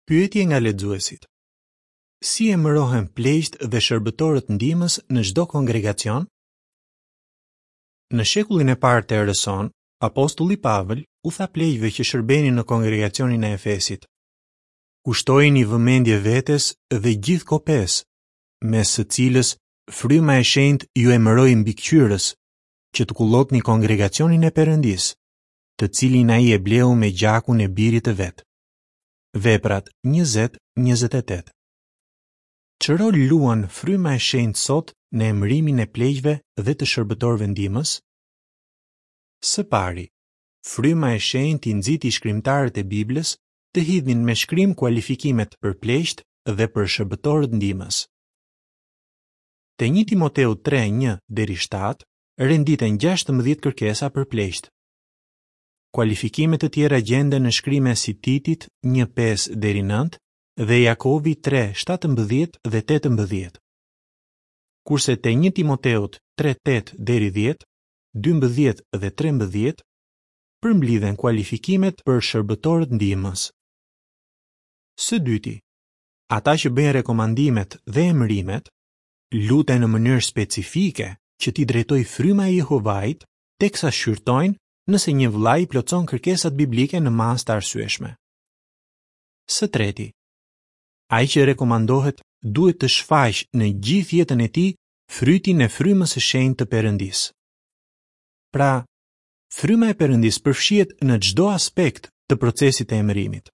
Pyetje nga lexuesit. Si emërohen pleqtë dhe shërbëtorët ndihmës në çdo kongregacion? Në shekullin e parë të erës sonë, apostulli Pavël u tha pleqve që shërbenin në kongregacionin e Efesit: Kushtojini vëmendje vetes dhe gjithë kopesë, mes së cilës fryma e shenjtë ju emëroi mbikëqyrës, që të kullotni kongregacionin e Perëndisë, të cilin ai e bleu me gjakun e birit të vet. Veprat 20 28. Ç'rol luan fryma e shenjtë sot në emërimin e pleqve dhe të shërbëtorëve ndihmës? Së pari, fryma e shenjtë i nxiti shkrimtarët e Biblës të hidhnin me shkrim kualifikimet për pleqtë dhe për shërbëtorët ndihmës. Te 1 Timoteu 3:1 deri 7 renditen 16 kërkesa për pleqtë. Kualifikime të tjera gjenden në shkrime si Titit 1:5 deri 9 dhe Jakovi 3:17 dhe 18. Kurse te 1 Timoteut 3:8 deri 10, 12 dhe 13 përmblidhen kualifikimet për shërbëtorët ndihmës. Së dyti, ata që bëjnë rekomandimet dhe emërimet, luten në mënyrë specifike që t'i drejtojë fryma e Jehovait teksa shqyrtojnë nëse një vëlla i plotëson kërkesat biblike në masë të arsyeshme. Së treti, ai që rekomandohet duhet të shfaqë në gjithë jetën e tij frytin e frymës së shenjtë të Perëndisë. Pra, fryma e Perëndisë përfshihet në çdo aspekt të procesit të emërimit.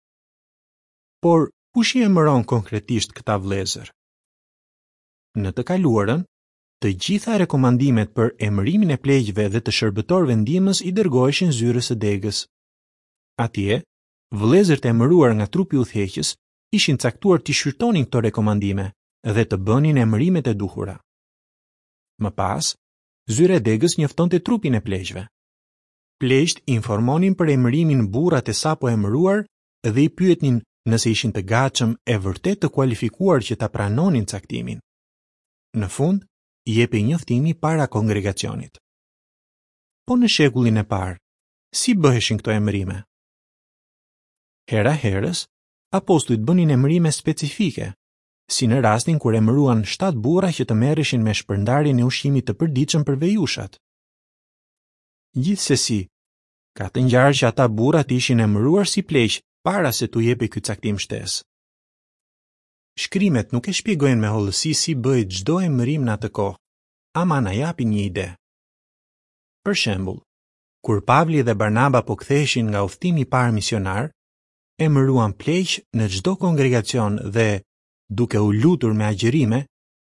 Por, kush i emëron konkretisht këta vëllezër? Në të kaluarën, Të gjitha rekomandimet për emërimin e pleqve dhe të shërbëtorëve ndihmës i dërgoheshin zyrës së degës. Atje, vëllezërit e emëruar nga trupi udhëheqës ishin caktuar t'i shqyrtonin këto rekomandime dhe të bënin emërimet e duhura. Më pas, zyra e degës njoftonte trupin e pleqve. Pleqtë informonin për emërimin burrat e sapo emëruar dhe i pyetnin nëse ishin të gatshëm e vërtet të kualifikuar që ta pranonin caktimin. Në fund, jepej njoftimi para kongregacionit. Po në shekullin e parë, si bëheshin këto emërime? Hera herës, apostujt bënin emërime specifike, si në rastin kur emëruan 7 burra që të merreshin me shpërndarjen e ushqimit të përditshëm për vejushat. Gjithsesi, ka të ngjarë që ata burra të ishin emëruar si pleq para se t'u jepej ky caktim shtesë. Shkrimet nuk e shpjegojnë me hollësi si bëhej çdo emërim në atë kohë, ama na japin një ide. Për shembull, kur Pavli dhe Barnaba po ktheheshin nga udhëtimi i parë misionar, emëruan pleq në çdo kongregacion dhe, duke u lutur me agjërime,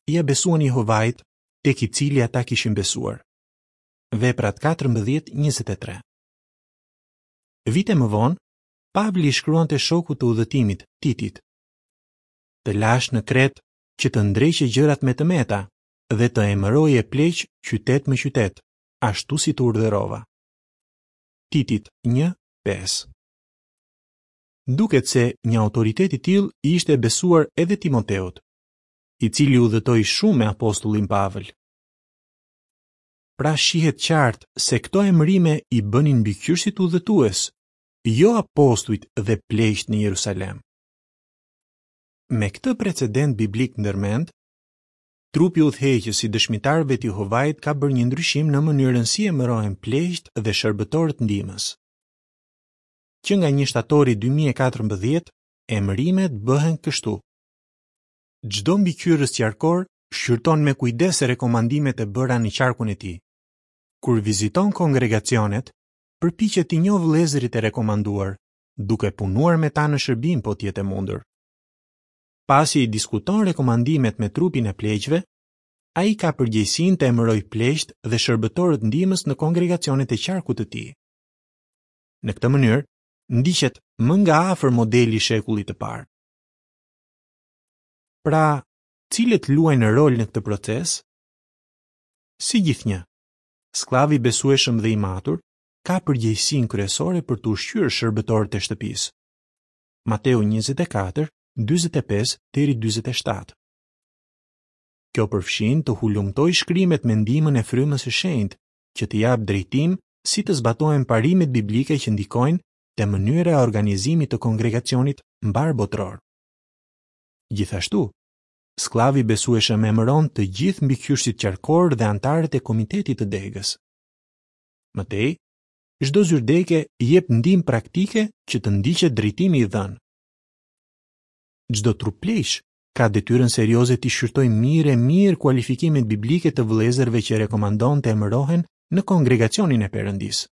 ia besuan Jehovait, tek i cili ata kishin besuar. Veprat 14:23. Vite më vonë, Pavli i shkruante shokut të udhëtimit, Titit. Të lashë në Kretë që të ndreqje gjërat me të meta dhe të emëroje pleq qytet më qytet, ashtu si të urdhërova. Titit 1, 5 Duket se një autoritet i tillë i ishte besuar edhe Timoteut, i cili udhëtoi shumë me apostullin Pavël. Pra shihet qartë se këto emërime i bënin mbikëqyrësit udhëtues, jo apostujt dhe pleqtë në Jerusalem. Me këtë precedent biblik ndërmend, trupi udhëheqës i dëshmitarëve të Jehovait ka bërë një ndryshim në mënyrën si emërohen pleqtë dhe shërbëtorët ndihmës. Që nga 1 shtatori 2014, emërimet bëhen kështu. Çdo mbikëqyrës qarkor shqyrton me kujdes rekomandimet e bëra në qarkun e tij. Kur viziton kongregacionet, përpiqet t'i njohë vëllezërit e rekomanduar duke punuar me ta në shërbim po të jetë e mundur. Pasi i diskuton rekomandimet me trupin e pleqve, ai ka përgjegjësinë të emërojë pleqtë dhe shërbëtorët ndihmës në kongregacionet e qarkut të tij. Në këtë mënyrë, ndiqet më nga afër modeli i shekullit të parë. Pra, cilët luajnë rol në këtë proces? Si gjithnjë, skllavi i besueshëm dhe i matur ka përgjegjësinë kryesore për të ushqyer shërbëtorët e shtëpisë. Mateu 24, 45 deri 47. Kjo përfshin të hulumtojë shkrimet me ndihmën e frymës së shenjtë, që të japë drejtim si të zbatohen parimet biblike që ndikojnë te mënyra e organizimit të kongregacionit mbarëbotëror. Gjithashtu, skllavi i besueshëm emëron të gjithë mbikëqyrësit qarkorë dhe anëtarët e komitetit të degës. Më tej, çdo zyrë dege jep ndihmë praktike që të ndiqet drejtimi i dhënë. Çdo trup pleqsh ka detyrën serioze t'i shqyrtojë mirë e mirë kualifikimet biblike të vëllezërve që rekomandon të emërohen në kongregacionin e Perëndisë.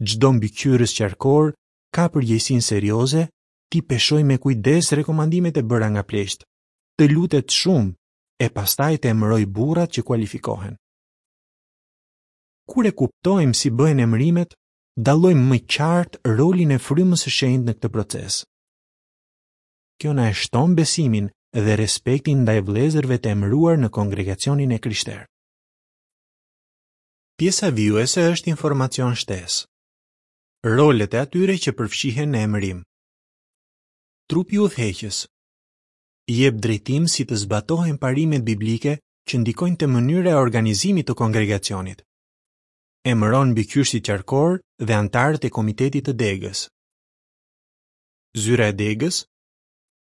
Çdo mbikëqyrës qarkor ka përgjegjësinë serioze t'i peshojë me kujdes rekomandimet e bëra nga pleqtë, të lutet shumë e pastaj të emërojë burrat që kualifikohen. Kur e kuptojmë si bëhen emërimet, dallojmë më qartë rolin e frymës së shenjtë në këtë proces. Kjo na e shton besimin dhe respektin ndaj vëllezërve të emëruar në kongregacionin e krishterë. Pjesa vijuese është informacion shtesë. Rolet e atyre që përfshihen në emërim. Trupi udhëheqës jep drejtim si të zbatohen parimet biblike që ndikojnë te mënyra e organizimit të kongregacionit. Emëron mbikëqyrësit qarkorë dhe anëtarët e komitetit të degës. Zyra e degës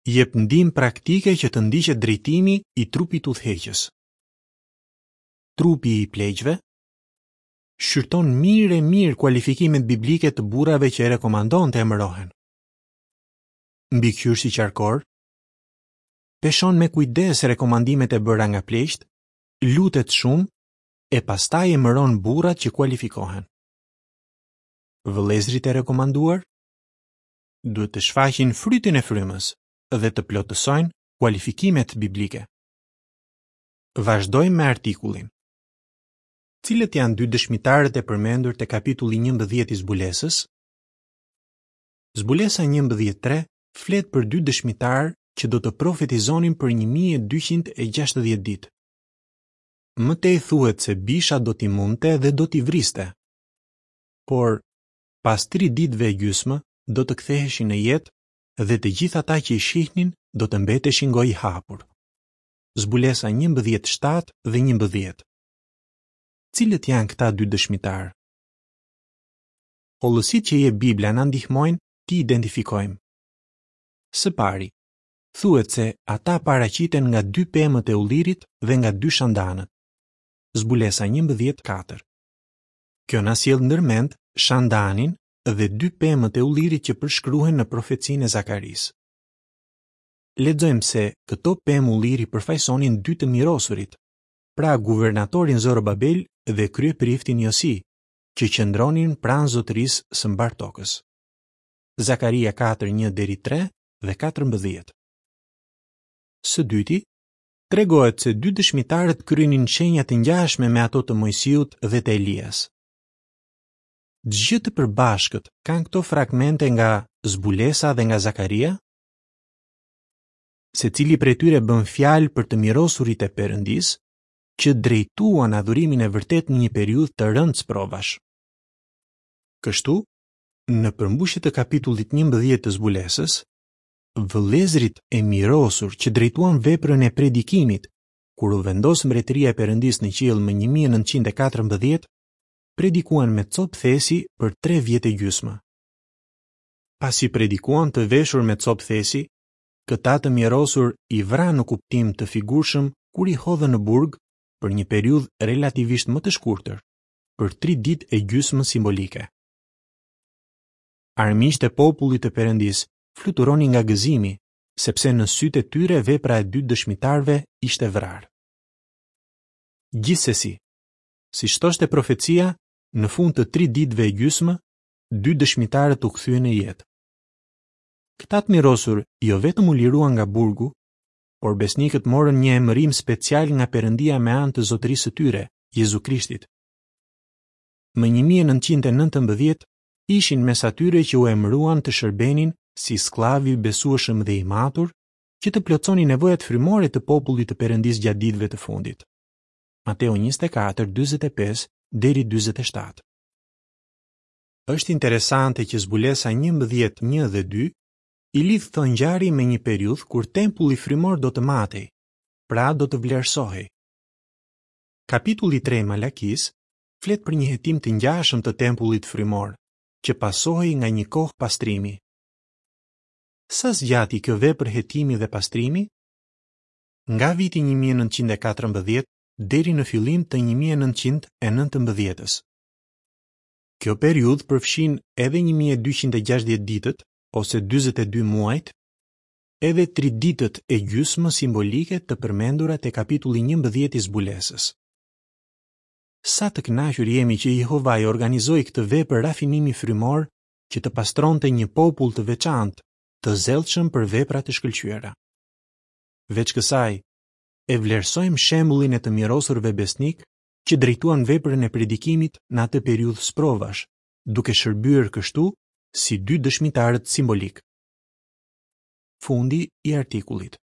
jep ndihmë praktike që të ndiqet drejtimi i trupit udhëheqës. Trupi i pleqve shqyrton mirë e mirë kualifikimet biblike të burrave që e rekomandon të emërohen. Mbikëqyrësi qarkor peshon me kujdes rekomandimet e bëra nga pleqtë, lutet shumë e pastaj emëron burrat që kualifikohen. Vëllezërit e rekomanduar duhet të shfaqin frytin e frymës dhe të plotësojnë kualifikimet biblike. Vazhdojmë me artikullin. Cilët janë dy dëshmitarët e përmendur te kapitulli 11 i Zbulesës? Zbulesa 11.3 flet për dy dëshmitarë që do të profetizonin për 1260 ditë. Më tej thuhet se bisha do t'i mundte dhe do t'i vriste. Por, pas tri ditëve e gjysmë do të ktheheshin në jetë dhe të gjithë ata që i shihnin do të mbeteshin gojëhapur. Zbulesa 11 7 dhe 11. Cilët janë këta dy dëshmitarë? Hollësitë që jep Bibla na ndihmojnë t'i identifikojmë. Së pari, thuhet se ata paraqiten nga dy pemët e ullirit dhe nga dy shandanët. Zbulesa 11:4. Kjo na sjell ndërmend shandanin dhe dy pemët e ullirit që përshkruhen në profecinë e Zakarisë. Lexojmë se këto pemë ulliri përfaqësonin dy të mirosurit, pra guvernatorin Zorobabel dhe kryepriftin Josi, që qëndronin pranë zotërisë së mbarë tokës. Zakaria 4:1 deri 3 dhe 14. Së dyti, tregohet se dy dëshmitarët kryenin shenja të ngjashme me ato të Moisiut dhe të Elias. Ç'gjë të përbashkët kanë këto fragmente nga Zbulesa dhe nga Zakaria? Secili prej tyre bën fjalë për të mirosurit e Perëndisë, që drejtuan adhurimin e vërtetë në një periudhë të rëndë sprovash. Kështu, në përmbushje të kapitullit 11 të Zbulesës, vëllezërit e mirosur që drejtuan veprën e predikimit kur u vendos mbretëria e Perëndisë në qiell më 1914, predikuan me copë thesi për 3 vjet e gjysmë. Pasi predikuan të veshur me copë thesi, këta të mirosur i vranë në kuptim të figurshëm kur i hodhën në burg për një periudhë relativisht më të shkurtër, për 3 ditë e gjysmë simbolike. Armiqtë e popullit të Perëndisë fluturonin nga gëzimi, sepse në sytë e tyre vepra e dy dëshmitarëve ishte vrarë. Gjithsesi, siç thoshte profecia, në fund të tri ditëve e gjysmë, dy dëshmitarët u kthyen në jetë. Këta të mirosur jo vetëm u liruan nga burgu, por besnikët morën një emërim special nga Perëndia me anë të zotërisë së tyre, Jezu Krishtit. Më 1919 ishin mes atyre që u emëruan të shërbenin si skllavi i besueshëm dhe i matur, që të plotësonin nevojat frymore të popullit të Perëndisë gjatë ditëve të fundit. Mateu 24, 45 deri 47. Është interesante që zbulesa 11, 1 dhe 2 i lidh këto ngjarje me një periudhë kur tempulli frymor do të matej, pra do të vlerësohej. Kapitulli 3 i Malakisë flet për një hetim të ngjashëm të tempullit frymor, që pasohej nga një kohë pastrimi. Sa zgjati kjo vepër hetimi dhe pastrimi? Nga viti 1914 deri në fillim të 1919-ës. Kjo periudhë përfshin edhe 1260 ditët ose 42 muajt, edhe tri ditët e gjysmë simbolike të përmendura te kapitulli 11 i Zbulesës. Sa të kënaqur jemi që Jehovai organizoi këtë vepër rafinimi frymor që të pastronte një popull të veçantë, të zellshëm për vepra të shkëlqyera. Veç kësaj, e vlerësojmë shembullin e të mirosurve besnikë që drejtuan veprën e predikimit në atë periudhë sprovash, duke shërbyer kështu si dy dëshmitarët simbolikë. Fundi i artikullit.